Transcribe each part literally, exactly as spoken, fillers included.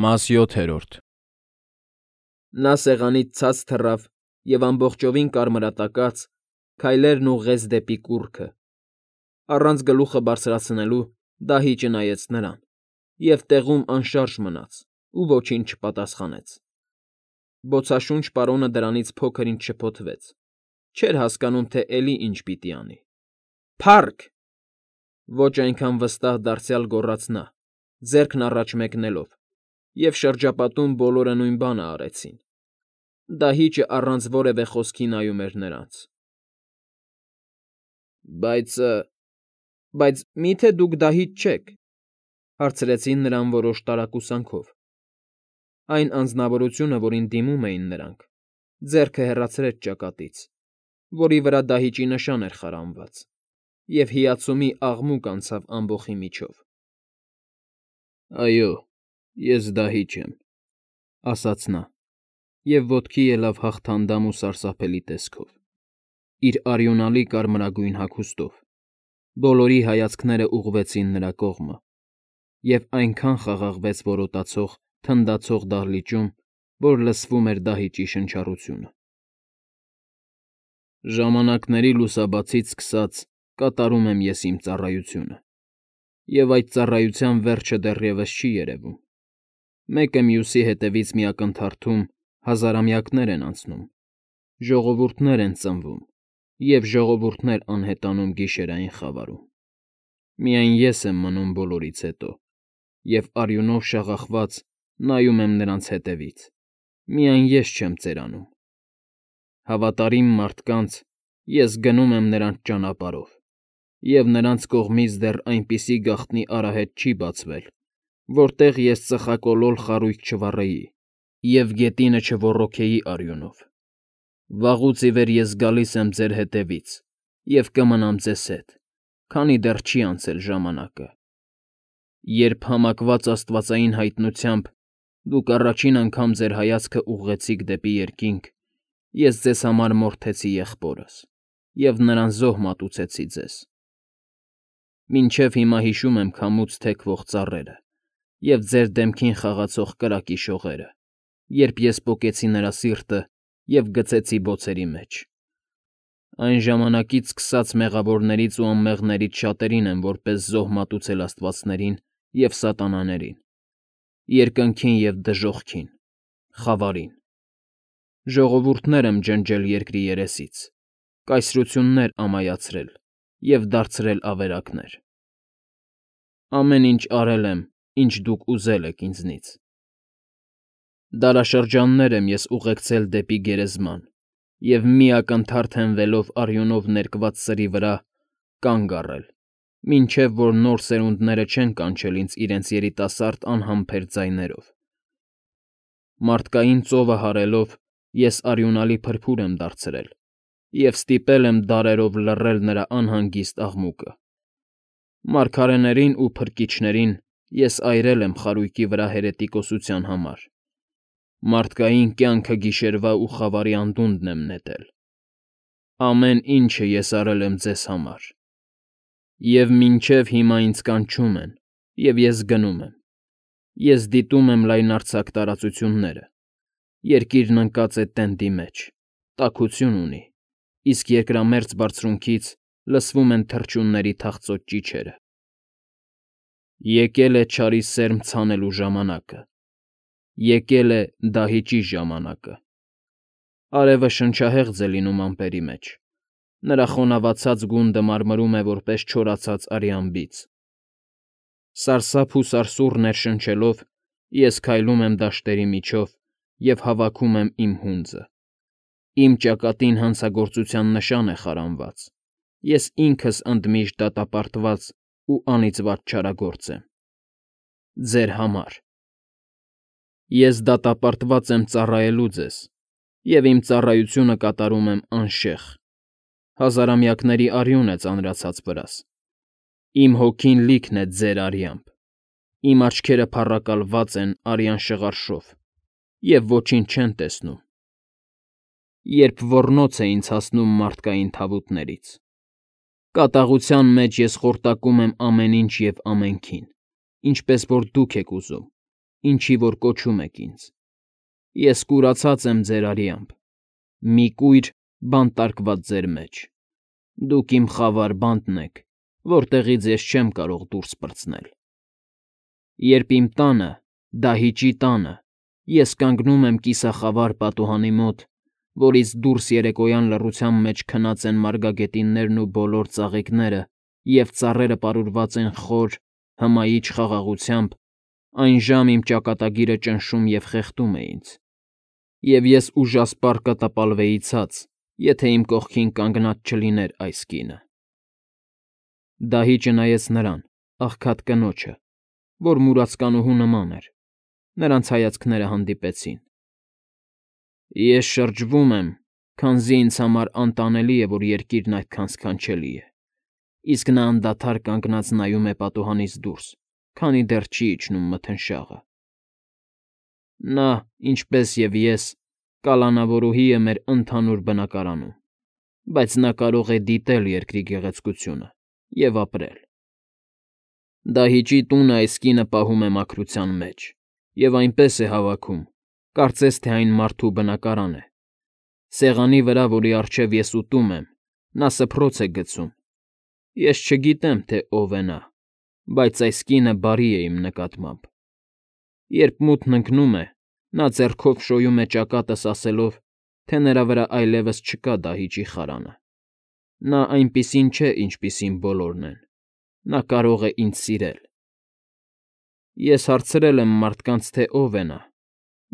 Մաս յոթերորդ Նա սեղանից ցած թռավ և ամբողջովին կարմրատակած, քայլերն ուղղեց դեպի կուռքը, առանց գլուխը բարձրացնելու դահիճը նայեց նրան և տեղում անշարժ մնաց ու ոչինչ չպատասխանեց. բոցաշունչ պարոնը դրանից փոքր֊ինչ շփոթվեց, չէր հասկանում, թե էլի ինչ պիտի անի։ ֊ Փա՜ռք,֊ ոչ այնքան վստահ դարձյալ գոռաց նա, ձեռքն առաջ մեկնելով, և շրջապատում բոլորը նույն բանը արեցին. դահիճը առանց որևէ խոսքի նայում էր նրանց։ ֊ Բայց… բայց մի՞թե դուք դահիճ չեք,֊ հարցրեցին նրան որոշ տարակուսանքով. այն անձնավորությունը, որին դիմում էին նրանք, ձեռքը հեռացրեց ճակատից, որի վրա դահիճի նշան էր խարանված, և հիացումի աղմուկ անցավ ամբոխի միջով։ ֊ Այո, ես դահիճ եմ,֊ ասաց նա, և ոտքի ելավ հաղթանդամ ու սարսափելի տեսքով, իր արյունալի կարմրագույն հագուստով, բոլորի հայացքները ուղղվեցին նրա կողմը, և այնքան խաղաղվեց որոտացող, թնդացող դահլիճում, որ լսվում էր դահիճի շնչառությունը։ ֊ Ժամանակների լուսաբացից սկսած կատարում եմ ես իմ ծառայությունը, և այդ ծառայության վերջը դեռևս չի երևում. մեկը մյուսի հետևից մի ակնթարթում հազարամյակներ են անցնում, ժողովուրդներ են ծնվում և ժողովուրդներ անհետանում գիշերային խավարում. միայն ես եմ մնում բոլորից հետո և արյունով շաղախված նայում եմ նրանց հետևից, միայն ես չեմ ծերանում. հավատարիմ մարդկանց ես գնում եմ նրանց ճանապարհով, և նրանց կողմից դեռ այնպիսի գաղտնի արահետ չի բացվել, որտեղ ես ծխակոլոր խարույկ չվառեի և գետինը չոռոգեի արյունով. վաղուց ի վեր ես գալիս եմ ձեր հետևից և կմնամ ձեզ հետ, քանի դեռ չի անցել ժամանակը, երբ համակված աստվածային հայտնությամբ դուք առաջին անգամ ձեր հայացքը ուղղեցիք դեպի երկինք, ես ձեզ համար մորթեցի եղբորս և նրան զոհ մատուցեցի ձեզ. մինչև հիմա հիշում եմ քամուց թեքվող ծառերը և ձեր դեմքին խաղացող կրակի շողերը, երբ ես պոկեցի նրա սիրտը և գցեցի բոցերի մեջ. այն ժամանակից սկսած մեղավորներից ու անմեղներից շատերին եմ որպես զոհ մատուցել աստվածներին և սատանաներին, երկնքին և դժոխքին, խավարին. ժողովուրդներ եմ ջնջել երկրի երեսից, կայսրություններ ամայացրել և դարձրել ավերակներ. ամեն ինչ արել եմ, ինչ դուք ուզել եք ինձնից. դարաշրջաններ եմ ես ուղեկցել դեպի գերեզման և մի ակնթարթ հենվելով արյունով ներկված սրի վրա, կանգ առել, մինչև որ նոր սերունդները չեն կանչել ինձ իրենց երիտասարդ անհամբեր ձայներով. մարդկային ծովը հարելով ես արյունալի փրփուր եմ դարձրել և ստիպել եմ դարերով լռել նրա անհանգիստ աղմուկը. մարգարեներին ու փրկիչներին ես այրել եմ խարույկի վրա հերետիկոսության համար, մարդկային կյանքը գիշերվա ու խավարի անդունդն եմ նետել. ամեն ինչը ես արել եմ ձեզ համար, և մինչև հիմա ինձ կանչում են, և ես գնում եմ. ես դիտում եմ լայնարձակ տարածությունները, երկիրն ընկած է տենդի մեջ, տաքություն ունի, իսկ երկրամերձ բարձունքից լսվում են թռչունների թախծոց ճիչերը. եկել է չարի սերմ ցանելու ժամանակը, եկել է դահիճի ժամանակը. արևը շնչահեղձ է լինում ամպերի մեջ, նրա խոնավացած գունդը մարմրում է որպես չորացած արյան բիծ. սարսափ ու սարսուռ ներշնչելով ես քայլում եմ դաշտերի միջով և հավաքում եմ իմ հունձը. իմ ճակատին հանցագործության նշան է խարանված, ես ինքս ընդմիշտ դատապարտված ու անիծված չարագործ եմ. ձեր համար. ես դատապարտված եմ ծառայելու ձեզ և իմ ծառայությունը կատարում եմ անշեղ, հազարամյակների արյուն է ծանրացած վրաս, իմ հոգին լիքն է ձեր արյամբ, իմ աչքերը փառակալված են արյան շղարշով և ոչինչ չեն տեսնում, երբ ոռնոց է ինձ հասնում մարդկային թավուտներից. կատաղության մեջ ես խորտակում եմ ամեն ինչ և ամենքին, ինչպես որ դուք եք ուզում, ինչի որ կոչում եք ինձ։ Ես կուրացած եմ ձեր արյամբ, մի կույր բանտարկված ձեր մեջ։ Դուք իմ խավար բանտն եք, որտեղից ես չեմ կարող դուրս պրծնել։ Երբ իմ տանը, դահիճի տանը, ես կանգնում եմ կիսախավար պատուհանի մոտ, որից դուրս երեկոյան լռության մեջ քնած են մարգագետիններն ու բոլոր ծաղիկները, և ծառերը պարուրված են խոր, հմայիչ խաղաղությամբ, այն ժամ իմ ճակատագիրը ճնշում և խեղդում է ինձ, և ես ուժասպառ կտապալվեի ցած, եթե իմ կողքին կանգնած չլիներ այս կինը։ Դահիճը նայեց նրան, աղքատ կնոջը, որ մուրացկանուհու նման էր, նրանց հայացքները հանդիպեցին։ Ես շրջվում եմ, քանզի ինձ համար անտանելի է, որ երկիրն այդքան սքանչելի է, իսկ նա անդադար կանգնած նայում է պատուհանից դուրս, քանի դեռ չի իջնում մթնշաղը։ Նա, ինչպես և ես, կալանավորուհի է մեր ընդհանուր բնակարանում, բայց նա կարող է դիտել երկրի գեղեցկությունը և ապրել։ Դահիճի տունը այս կինը պահում է մաքրության մեջ և այնպես է հավաքում, կարծես թե այն մարդու բնակարան է։ Սեղանի վրա, որի առջև ես ուտում եմ, նա սփռոց է գցում։ Ես չգիտեմ, թե ով է նա, բայց այս կինը բարի է իմ նկատմամբ։ Երբ մութն ընկնում է, նա ձեռքով շոյում է ճակատս, ասելով, թե նրա վրա այլևս չկա դահիճի խարանը։ Նա այնպիսին չէ, ինչպիսին բոլորն են։ Նա կարող է ինձ սիրել։ Ես հարցրել եմ մարդկանց, թե ով է նա,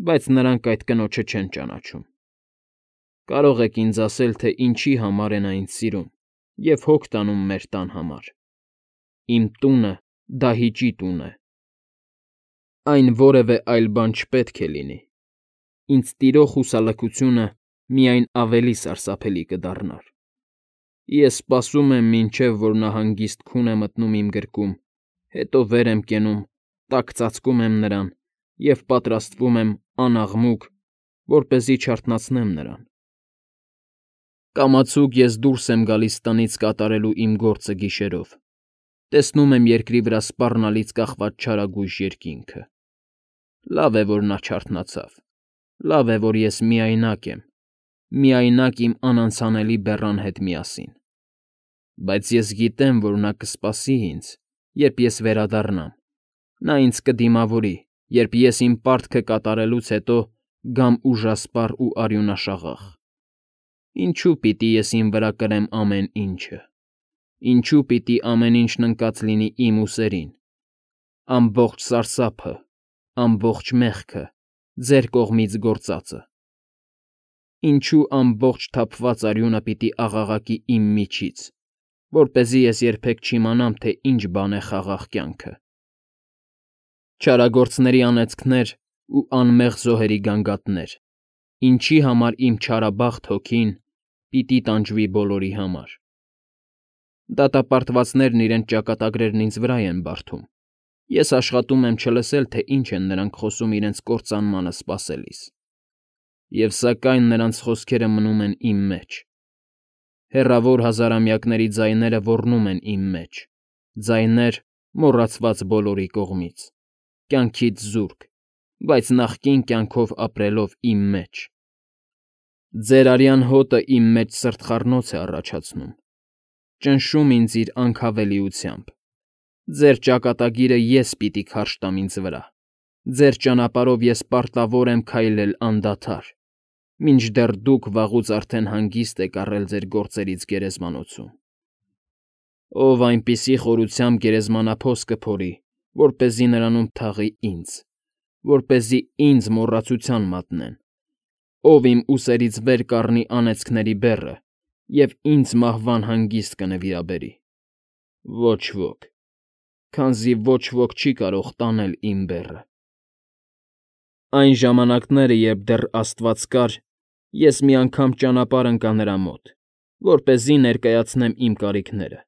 բայց նրանք այդ կնոջը չեն ճանաչում։ Կարող եք ինձ ասել, թե ինչի համար է նա ինձ սիրում և հոգ տանում մեր տան համար։ Իմ տունը դահիճի տուն է։ Այն որևէ այլ բան չպետք է լինի։ Ինձ տիրող հուսալքությունը միայն ավելի սարսափելի կդառնար։ Ես սպասում եմ, մինչև որ նա հանգիստ քուն է մտնում իմ գրկում, հետո վեր եմ կենում, տաք ծածկում եմ նրան և պատրաստվում եմ անաղմուկ, որպեսզի չարթնացնեմ նրան։ Կամացուկ ես դուրս եմ գալիս տնից կատարելու իմ գործը գիշերով, տեսնում եմ երկրի վրա սպառնալից կախված չարագույժ երկինքը։ Լավ է, որ նա չարթնացավ, լավ է, որ ես միայնակ եմ, միայնակ իմ անանցանելի բեռան հետ միասին։ Բայց ես գիտեմ, որ նա կսպասի ինձ, երբ ես վերադառնամ, նա ինձ կդիմավորի, երբ ես իմ պարտքը կատարելուց հետո գամ ուժասպառ ու արյունաշաղախ։ Ինչո՞ւ պիտի ես իմ վրա կրեմ ամեն ինչը։ Ինչո՞ւ պիտի ամեն ինչն ընկած լինի իմ ուսերին, ամբողջ սարսափը, ամբողջ մեղքը, ձեր կողմից գործածը։ Ինչո՞ւ ամբողջ թափված արյունը պիտի աղաղակի իմ միջից, որպեսզի ես երբեք չիմանամ, թե ինչ բան է խաղաղ կյանքը։ Չարագործների անեծքներ ու անմեղ զոհերի գանգատներ, ինչի համար իմ չարաբախտ հոգին պիտի տանջվի բոլորի համար։ Դատապարտվածներն իրենց ճակատագրերն ինձ վրա են բարդում։ Ես աշխատում եմ չլսել, թե ինչ են նրանք խոսում իրենց կործանմանը սպասելիս։ Եվ սակայն նրանց խոսքերը մնում են իմ մեջ։ Հեռավոր հազարամյակների ձայները ոռնում են իմ մեջ, ձայներ, մոռացված բոլորի կողմից, կյանքից զուրկ, բայց նախկին կյանքով ապրելով իմ մեջ։ Ձեր արյան հոտը իմ մեջ սրտխառնոց է առաջացնում, ճնշում ինձ իր անքավելիությամբ։ Ձեր ճակատագիրը ես պիտի քարշ տամ ինձ վրա, ձեր ճանապարհով ես պարտավոր եմ քայլել անդադար, մինչդեռ դուք վաղուց արդեն հանգիստ եք առել ձեր գործերից գերեզմանոցում։ Ով այնպիսի խորությամբ գերեզմանափոս կփորի, որպեսզի նրանում թաղի ինձ, որպեսզի ինձ մոռացության մատնեն, ով իմ ուսերից վեր կառնի անեծքների բեռը և ինձ մահվան հանգիստ կնվիրաբերի։ Ոչ ոք, քանզի ոչ ոք չի կարող տանել իմ բեռը։ Այն ժամանակները, երբ դեռ Աստված կար, ես մի անգամ ճանապարհ ընկա նրա մոտ, որպեսզի ներկայացնեմ իմ կարիքները,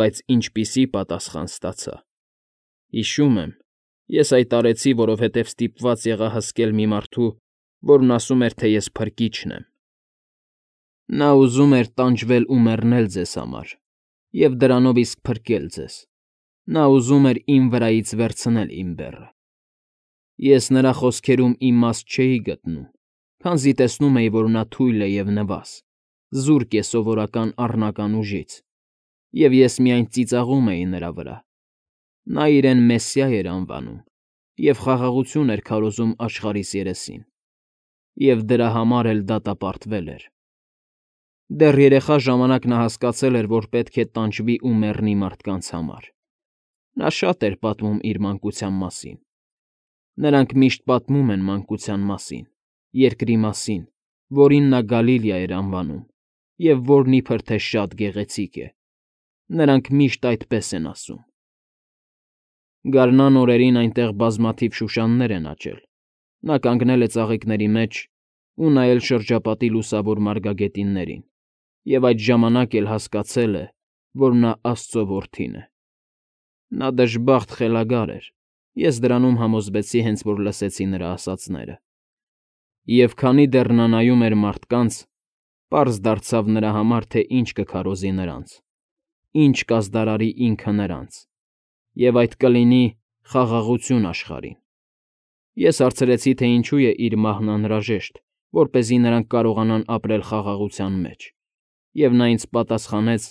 բայց ինչպիսի պատասխան ստացա։ Հիշում եմ, ես այդ արեցի, որովհետև ստիպված եղա հսկել մի մարդու, որն ասում էր, թե ես փրկիչն եմ։ Նա ուզում էր տանջվել ու մեռնել ձեզ համար և դրանով իսկ փրկել ձեզ։ Նա ուզում էր իմ վրայից վերցնել իմ բեռը։ Ես նրա խոսքերում իմաստ չէի գտնում, քանզի տեսնում էի, որ նա թույլ է և նվազ, զուրկ է սովորական առնական ուժից, և ես միայն ծիծաղում էի նրա վրա։ Նա իրեն Մեսսիա էր անվանում և խաղաղություն էր քարոզում աշխարհիս երեսին, և դրա համար էլ դատապարտվել էր։ Դեռ երեխա ժամանակ նա հասկացել էր, որ պետք է տանջվի ու մեռնի մարդկանց համար։ Նա շատ էր պատմում իր մանկության մասին։ Նրանք միշտ պատմում են մանկության մասին, երկրի մասին, որին նա Գալիլիա էր անվանում, և որն իբրև թե շատ գեղեցիկ է։ Նրանք միշտ այդպես են ասում։ Գարնան օրերին այնտեղ բազմաթիվ շուշաններ են աճել։ Նա կանգնել է ծաղիկների մեջ ու նայել շրջապատի լուսավոր մարգագետիններին, և այդ ժամանակ էլ հասկացել է, որ նա Աստծո որդին է։ Նա դժբախտ խելագար էր, ես դրանում համոզվեցի, հենց որ լսեցի նրա ասածները։ Եվ քանի դեռ նա նայում էր մարդկանց, պարզ դարձավ նրա համար, թե ինչ կքարոզի նրանց, ինչ կազդարարի ինքը նրանց, և այդ կլինի խաղաղություն աշխարհին։ Ես հարցրեցի, թե ինչու է իր մահն անհրաժեշտ, որպեսզի նրանք կարողանան ապրել խաղաղության մեջ, և նա ինձ պատասխանեց,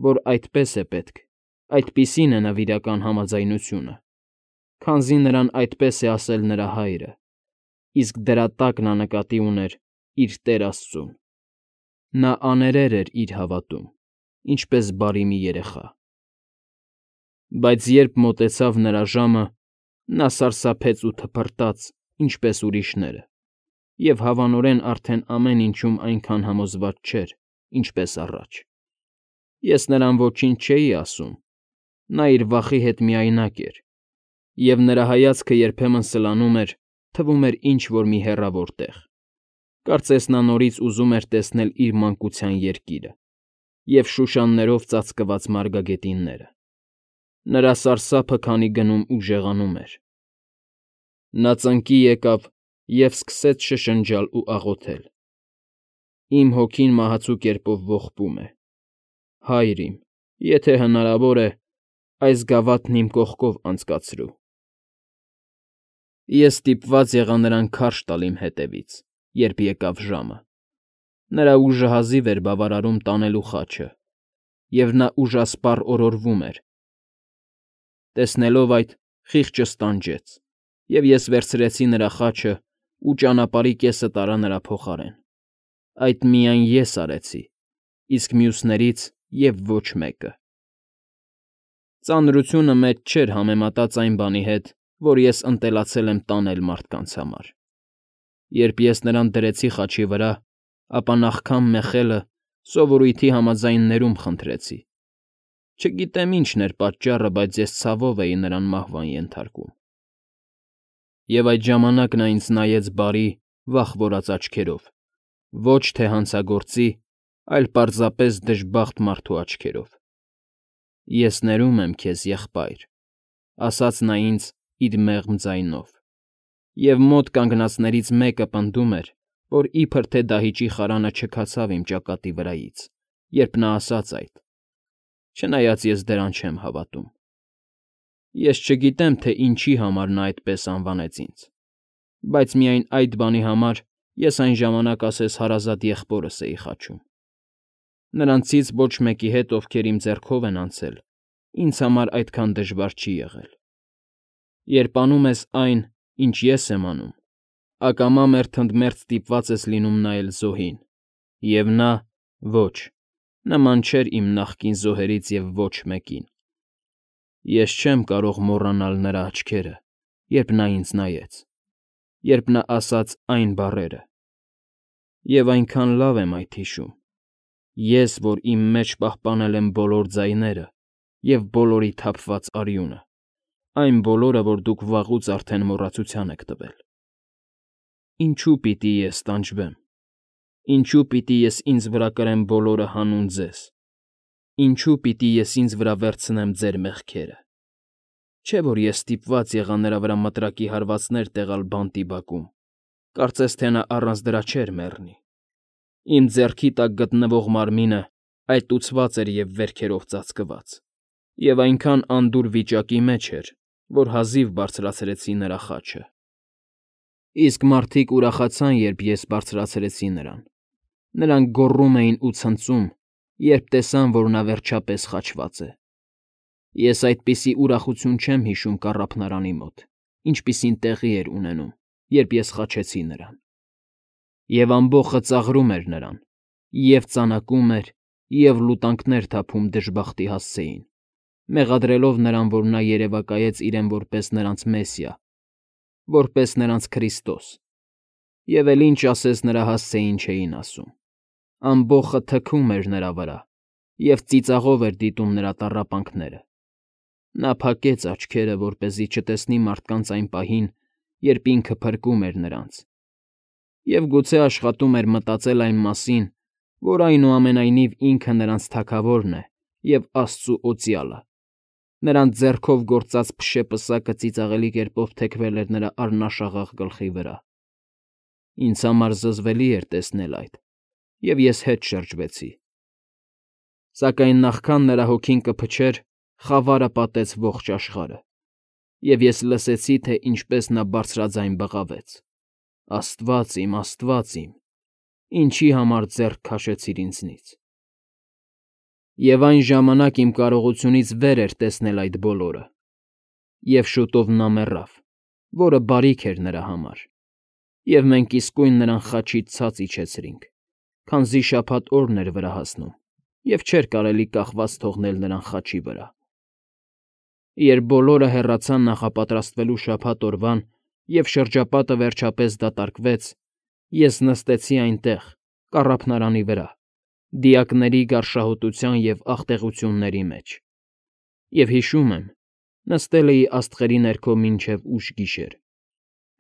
որ այդպես է պետք, այդպիսին է նվիրական համաձայնությունը, քանզի նրան այդպես է ասել նրա հայրը, իսկ դրա տակ նա նկատի ուներ իր Տեր Աստծուն։ Նա աներեր էր իր հավատում, ինչպես բարի մի երեխա։ Բայց երբ մոտեցավ նրա ժամը, նա սարսափեց ու թփրտաց, ինչպես ուրիշները, և հավանորեն արդեն ամեն ինչում այնքան համոզված չէր, ինչպես առաջ։ Ես նրան ոչինչ չէի ասում, նա իր վախի հետ միայնակ էր, և նրա հայացքը երբեմն սլանում էր, թվում էր ինչ֊որ մի հեռավոր տեղ։ Կարծես նա նորից ուզում էր տեսնել իր մանկության երկիրը և շուշաններով ծածկված մարգագետինները։ Նրա սարսափը քանի գնում ու ժեղանում էր։ Նա ծնկի եկավ և սկսեց շշնջալ ու աղոթել. «Իմ հոգին մահացու կերպով ողբում է։ Հա՛յր իմ, եթե հնարավոր է, այս գավաթն իմ կողքով անցկացրու»։ Ես ստիպված եղա նրան քարշ տալ իմ հետևից, երբ եկավ ժամը։ Նրա ուժը հազիվ էր բավարարում տանելու խաչը, և նա ուժասպառ օրորվում էր։ Տեսնելով այդ, խիղճս տանջեց, և ես վերցրեցի նրա խաչն ու ճանապարհի կեսը տարա նրա փոխարեն։ Այդ միայն ես արեցի, իսկ մյուսներից և ոչ մեկը։ Ծանրությունը մեծ չէր համեմատած այն բանի հետ, որ ես ընտելացել եմ տանել մարդկանց համար։ Երբ ես նրան դրեցի խաչի վրա, ապա նախքան մեխելը սովորույթի համաձայն ներում խնդրեցի։ Չգիտեմ ինչն էր պատճառը, բայց ես ցավով էի նրան մահվան ենթարկում։ Եվ այդ ժամանակ նա ինձ նայեց բարի, վախվորած աչքերով, ոչ թե հանցագործի, այլ պարզապես դժբախտ մարդու աչքերով։ «Ես ներում եմ քեզ, եղբայր», ֊ ասաց նա ինձ իր մեղմ ձայնով, և մոտ կանգնածներից մեկը պնդում էր, որ իբրև թե դահիճի խարանը չքացավ իմ ճակատի վրայից, երբ նա ասաց այդ, չնայած ես դրան չեմ հավատում։ Ես չգիտեմ, թե ինչի համար նա այդպես անվանեց ինձ, բայց միայն այդ բանի համար ես այն ժամանակ ասես հարազատ եղբորս էի խաչում։ Նրանցից ոչ մեկի հետ, ովքեր իմ ձեռքով են անցել, ինձ համար այդքան դժվար չի եղել։ Երբ անում ես այն, ինչ ես եմ անում, ակամա մերթընդմերթ ստիպված ես լինում նայել զոհին, և նա՝ ոչ, նման չէր իմ նախկին զոհերից և ոչ մեկին։ Ես չեմ կարող մոռանալ նրա աչքերը, երբ նա ինձ նայեց, երբ նա ասաց այն բառերը։ Եվ այնքան լավ եմ այդ հիշում, ես, որ իմ մեջ պահպանել եմ բոլոր ձայները և բոլորի թափված արյունը, այն բոլորը, որ դուք վաղուց արդեն մոռացության եք տվել։ Ինչո՞ւ պիտի ես տանջվեմ։ Ինչո՞ւ պիտի ես ինձ վրա կրեմ բոլորը հանուն ձեզ։ Ինչո՞ւ պիտի ես ինձ վրա վերցնեմ ձեր մեղքերը։ Չէ՞ որ ես ստիպված եղա նրա վրա մտրակի հարվածներ տեղալ բանտի բակում, կարծես թե նա առանց դրա չէր մեռնի։ Իմ ձեռքի տակ գտնվող մարմինը այտուցված էր և վերքերով ծածկված, և այնքան անդուր վիճակի մեջ էր, որ հազիվ բարձրացրեցի նրա խաչը։ Իսկ մարդիկ ուրախացան, երբ ես բարձրացրեցի նրան. նրանք գոռում էին ու ցնծում, երբ տեսան, որ նա վերջապես խաչված է։ Ես այդպիսի ուրախություն չեմ հիշում կառափնարանի մոտ, ինչպիսին տեղի էր ունենում, երբ ես խաչեցի նրան։ Եվ ամբոխը ծաղրում էր նրան, և ծանակում էր, և լուտանքներ թափում դժբախտի հասցեին, մեղադրելով նրան, որ նա երևակայեց իրեն որպես նրանց Մեսիա, որպես նրանց Քրիստոս, և էլ ինչ ասես նրա հասցեին չէին ասում։ Ամբոխը թքում էր նրա վրա և ծիծաղով էր դիտում նրա տառապանքները։ Նա փակեց աչքերը, որպեսզի չտեսնի մարդկանց այն պահին, երբ ինքը փրկում էր նրանց, և գուցե աշխատում էր մտածել այն մասին, որ այնուամենայնիվ ինքը նրանց Թագավորն է և Աստծու օծյալը։ Նրանց ձեռքով գործած փշե պսակը ծիծաղելի կերպով թեքվել էր նրա առնաշաղախ գլխի վրա։ Ինձ համար զզվելի էր տեսնել այդ, և ես հետ շրջվեցի։ Սակայն նախքան նրա հոգին կփչեր, խավարը պատեց ողջ աշխարհը, և ես լսեցի, թե ինչպես նա բարձրաձայն բղավեց. «Աստվա՜ծ իմ, Աստվա՜ծ իմ, ինչի համար ձեռք քաշեցիր ինձնից»։ Եվ այն ժամանակ իմ կարողությունից վեր էր տեսնել այդ բոլորը։ Եվ շուտով նա մեռավ, որը բարիք էր նրա համար, և մենք իսկույն նրան խաչից ցած իջեցրինք, քանզի շաբաթ օրն էր վրա հասնում, և չէր կարելի կախված թողնել նրան խաչի վրա։ Երբ բոլորը հեռացան նախապատրաստվելու շաբաթ օրվան, և շրջապատը վերջապես դատարկվեց, ես նստեցի այնտեղ, կառափնարանի վրա, դիակների գարշահոտության և աղտեղությունների մեջ, և հիշում եմ, նստել էի աստղերի ներքո մինչև ուշ գիշեր։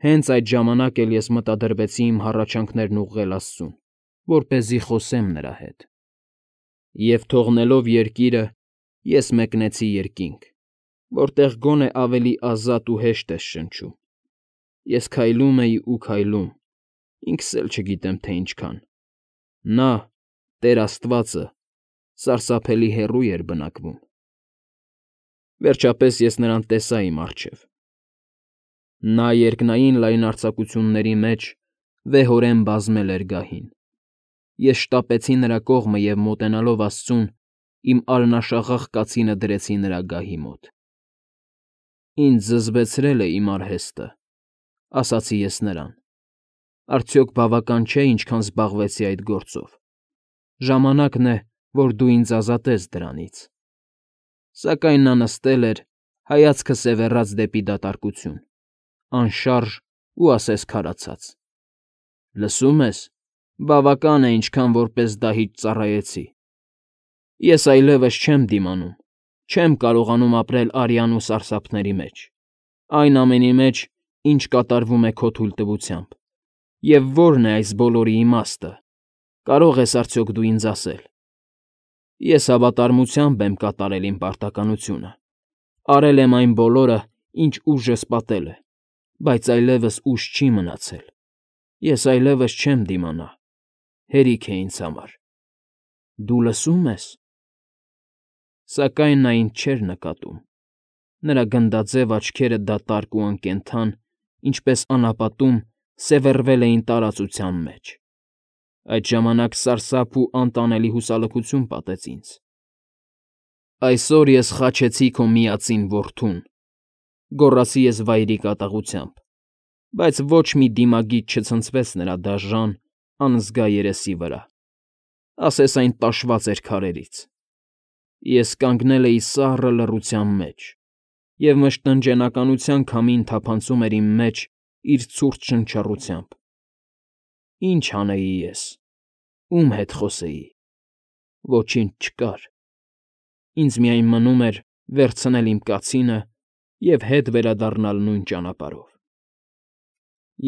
Հենց այդ ժամանակ էլ ես մտադրվեցի իմ հառաչանքներն ուղղել Աստծուն, որպեսզի խոսեմ նրա հետ։ Եվ թողնելով երկիրը, ես մեկնեցի երկինք, որտեղ գոնե ավելի ազատ ու հեշտ ես շնչում։ Ես քայլում էի ու քայլում, ինքս էլ չգիտեմ, թե ինչքան։ Նա՝ Տեր Աստվածը, սարսափելի հեռու էր բնակվում։ Վերջապես ես նրան տեսա իմ առջև։ Նա երկնային լայնարձակությունների մեջ վեհորեն բազմել էր գահին։ Ես շտապեցի նրա կողմը և, մոտենալով աստծուն, իմ արնաշաղախ կացինը դրեցի նրա գահի մոտ։ «Ինձ զզվեցրել է իմ արհեստը,֊ ասացի ես նրան,֊ արդյոք բավական չէ, ինչքան զբաղվեցի այդ գործով։ Ժամանակն է, որ դու ինձ ազատես դրանից»։ Սակայն նա նստել էր, հայացքը սևեռած դեպի դատարկություն, անշարժ ու ասես քարացած։ «Լսում ես, բավական է, ինչքան որպես դահիճ ծառայեցի։ Ես այլևս չեմ դիմանում, չեմ կարողանում ապրել արյան ու սարսափների մեջ, այն ամենի մեջ, ինչ կատարվում է քո թույլտվությամբ։ Եվ ո՞րն է այս բոլորի իմաստը, կարող ես արդյոք դու ինձ ասել։ Ես հավատարմությամբ եմ կատարել իմ պարտականությունը, արել եմ այն բոլորը, ինչ ուժս պատել է, բայց այլևս ուժ չի մնացել, ես այլևս չեմ դիմանա, հերիք է ինձ համար։ Դու լսո՞ւմ ես»։ Սակայն նա ինձ չէր նկատում։ Նրա գնդաձև աչքերը դատարկ ու անկենդան, ինչպես անապատում, սևեռվել էին տարածության մեջ։ Այդ ժամանակ սարսափ ու անտանելի հուսալքություն պատեց ինձ։ «Այսօր ես խաչեցի քո միածին որդուն,֊ գոռացի ես վայրի կատաղությամբ, բայց ոչ մի դիմագիծ չցնցվեց նրա դաժան, անզգա երեսի վրա, ասես այն տաշված էր քարերից։ Ես կանգնել էի սառը լռության մեջ, և մշտնջենականության քամին թափանցում էր իմ մեջ իր ցուրտ շնչառությամբ։ Ի՞նչ անեի ես, ո՞ւմ հետ խոսեի։ Ոչինչ չկար։ Ինձ միայն մնում էր վերցնել իմ կացինը և հետ վերադառնալ նույն ճանապարհով։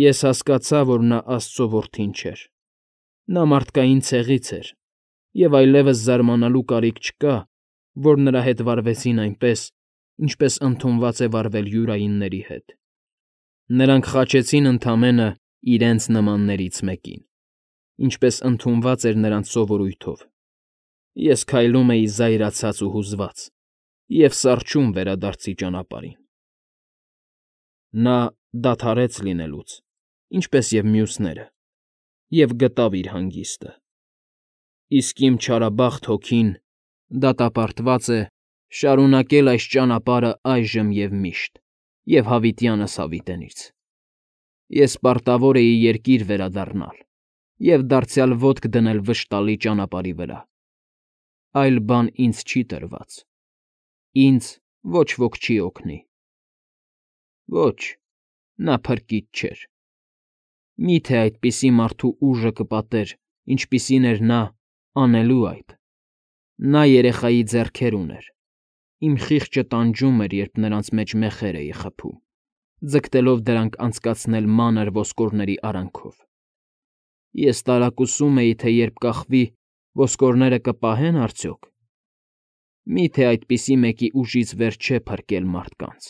Ես հասկացա, որ նա Աստծո որդին չէր։ Նա մարդկային ցեղից էր, և այլևս զարմանալու կարիք չկա, որ նրա հետ վարվեցին այնպես, ինչպես ընդունված է վարվել յուրայինների հետ։ Նրանք խաչեցին ընդամենը իրենց նմաններից մեկին, ինչպես ընդունված էր նրանց սովորույթով։ Ես քայլում էի զայրացած ու հուզված և սառչում վերադարձի ճանապարհին։ Նա դադարեց լինելուց ինչպես և մյուսները, և գտավ իր հանգիստը։ Իսկ իմ չարաբախտ հոգին դատապարտված է շարունակել այս ճանապարհը այժմ և միշտ, և հավիտյանս հավիտենից։ Ես պարտավոր էի երկիր վերադառնալ և դարձյալ ոտք դնել վշտալի ճանապարհի վրա։ Այլ բան ինձ չի տրված, ինձ ոչ ոք չի օգնի։ Ոչ, նա փրկիչ չէր։ Մի՞թե այդպիսի մարդու ուժը կպատեր, ինչպիսին էր նա, անելու այդ։ Նա երեխայի ձեռքեր ուներ, իմ խիղճը տանջում էր, երբ նրանց մեջ մեխեր էի խփում, ձգտելով դրանք անցկացնել մանր ոսկորների արանքով։ Ես տարակուսում էի, թե երբ կախվի, ոսկորները կպահե՞ն արդյոք։ Մի՞թե այդպիսի մեկի ուժից վեր չէ փրկել մարդկանց։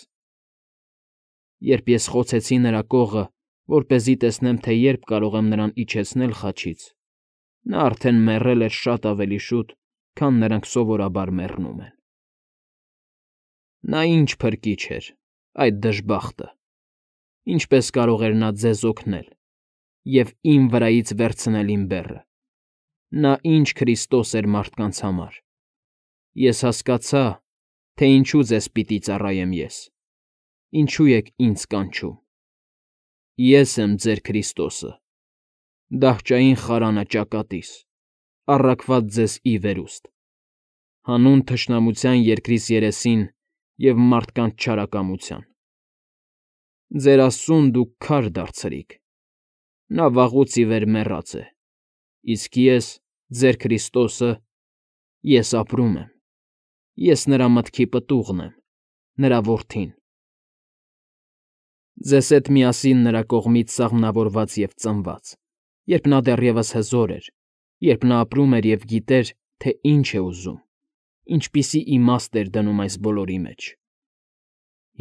Երբ ես խոցեցի նրա կողը, որպեսզի տեսնեմ, թե երբ կարող եմ նրան իջեցնել խաչից, նա արդեն մեռել էր շատ ավելի շուտ, քան նրանք սովորաբար մեռնում են։ Նա ինչ փրկիչ էր, այդ դժբախտը։ Ինչպե՞ս կարող էր նա ձեզ օգնել և իմ վրայից վերցնել իմ բեռը։ Նա ինչ Քրիստոս էր մարդկանց համար։ Ես հասկացա, թե ինչու ձեզ պիտի ծառայեմ ես, ինչու եք ինձ կանչում։ Ես եմ ձեր Քրիստոսը, դահճային խարանը ճակատիս, առաքված ձեզ ի վերուստ, հանուն թշնամության երկրիս երեսին և մարդկանց չարակամության։ Ձեր Աստծուն դուք քար դարձրիք. նա վաղուց ի վեր մեռած է, իսկ ես, ձեր Քրիստոսը, ես ապրում եմ, ես նրա մտքի պտուղն եմ, նրա որդին։ Ձեզ հետ միասին նրա կողմից սաղմնավորված և ծնված, երբ նա դեռևս հզոր էր, երբ նա ապրում էր և գիտեր, թե ինչ է ուզում, ինչպիսի իմաստ էր դնում այս բոլորի մեջ։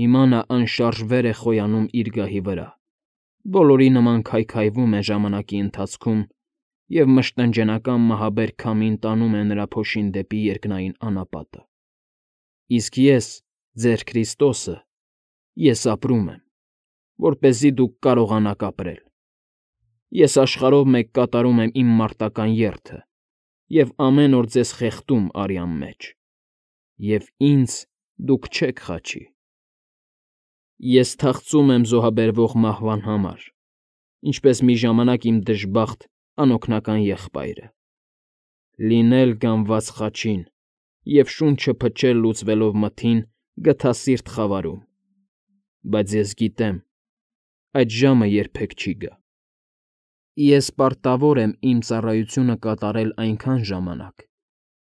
Հիմա նա անշարժ վեր է խոյանում իր գահի վրա, բոլորի նման քայքայվում է ժամանակի ընթացքում և մշտնջենական մահաբեր քամին տանում է նրա փոշին դեպի երկնային անապատը։ Իսկ ես, ձեր Քրիստոսը, ես ապրում եմ, որպեսզի դուք կարողանաք ապրել։ Ես աշխարհով մեկ կատարում եմ իմ մարտական երթը և ամեն օր ձեզ խեղդում արյան մեջ, և ինձ դուք չեք խաչի։ Ես թախծում եմ զոհաբերվող մահվան համար, ինչպես մի ժամանակ իմ դժբախտ, անօգնական եղբայրը։ Լինել գանված խաչին և շունչը փչել լուծվելով մթին գթասիրտ խավարում։ Բայց ես գիտեմ, այդ ժամը երբեք չի գա։ Ես պարտավոր եմ իմ ծառայությունը կատարել այնքան ժամանակ,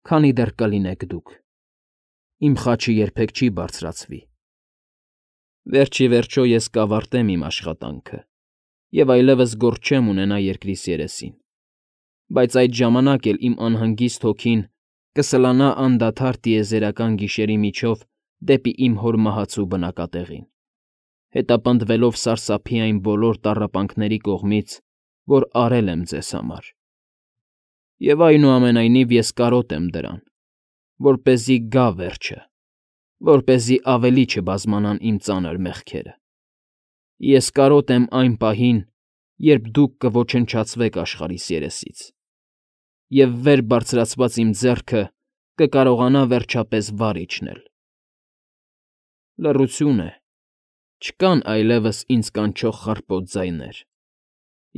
քանի դեռ կլինեք դուք։ Իմ խաչը երբեք չի բարձրացվի։ Վերջ ի վերջո ես կավարտեմ իմ աշխատանքը և այլևս գործ չեմ ունենա երկրիս երեսին, բայց այդ ժամանակ էլ իմ անհանգիստ հոգին կսլանա անդադար տիեզերական գիշերի միջով դեպի իմ հոր մահացու բնակատեղին, հետապնդվելով սարսափի այն բոլոր տառապանքների կողմից, որ արել եմ ձեզ համար։ Եվ այնուամենայնիվ ես կարոտ եմ դրան, որպեսզի գա վերջը, որպեսզի ավելի չբազմանան իմ ծանր մեղքերը։ Ես կարոտ եմ այն պահին, երբ դուք կոչնչացվեք աշխարհիս երեսից, և վեր բարձրացված իմ ձեռքը կկարողանա վերջապես վար իջնել։ Լռություն է, չկան այլևս ինձ կանչող խռպոտ ձայներ։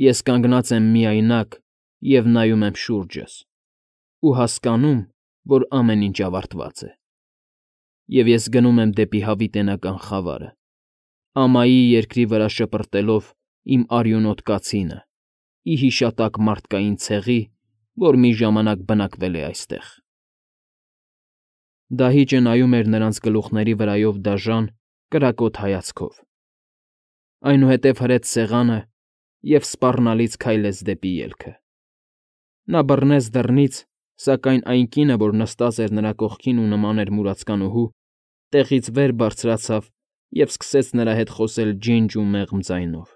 Ես կանգնած եմ միայնակ և նայում եմ շուրջս ու հասկանում, որ ամեն ինչ ավարտված է։ Եվ ես գնում եմ դեպի հավիտենական խավարը, ամայի երկրի վրա շպրտելով իմ արյունոտ կացինը, ի հիշատակ մարդկային ցեղի, որ մի ժամանակ բնակվել է այստեղ։ Դահիճը նայում էր նրանց գլուխների վրայով դաժան, կրակոտ հայացքով, այնուհետև հրեց սեղանը և սպառնալից քայլեց դեպի ելքը։ Նա բռնեց դռնից, սակայն այն կինը, որ նստած էր նրա կողքին ու նման էր մուրացկանուհու, տեղից վեր բարձրացավ և սկսեց նրա հետ խոսել ջինջ ու մեղմ ձայնով,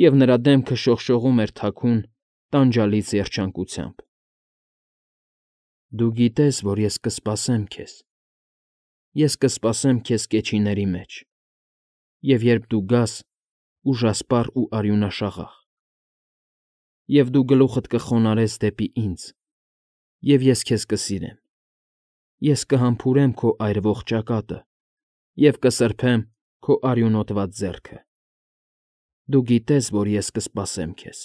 և նրա դեմքը շողշողում էր թաքուն, տանջալից երջանկությամբ։ Դու գիտես, որ ես կսպասեմ քեզ, ես կսպասեմ քեզ կեչիների մեջ, և երբ դու գաս, ուժասպառ ու արյունաշաղախ։ Եվ դու գլուխդ կխոնարհես դեպի ինձ, և ես քեզ կսիրեմ, ես կհամբուրեմ քո այրվող ճակատը և կսրբեմ քո արյունոտված ձեռքը։ Դու գիտես, որ ես կսպասեմ քեզ։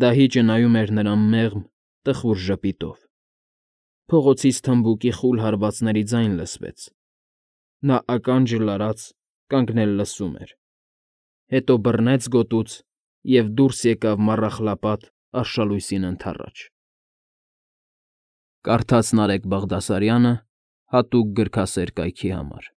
Դահիճը նայում էր նրան մեղմ, տխուր ժպիտով։ Փողոցից թմբուկի խուլ հարվածների ձայն լսվեց։ Նա ականջը լարած կանգնել լսում էր, հետո բռնեց գոտուց և դուրս եկավ մառախլապատ արշալույսին ընդառաջ։ Կարդաց Նարեկ Բաղդասարյանը հատուկ գրքասեր կայքի համար։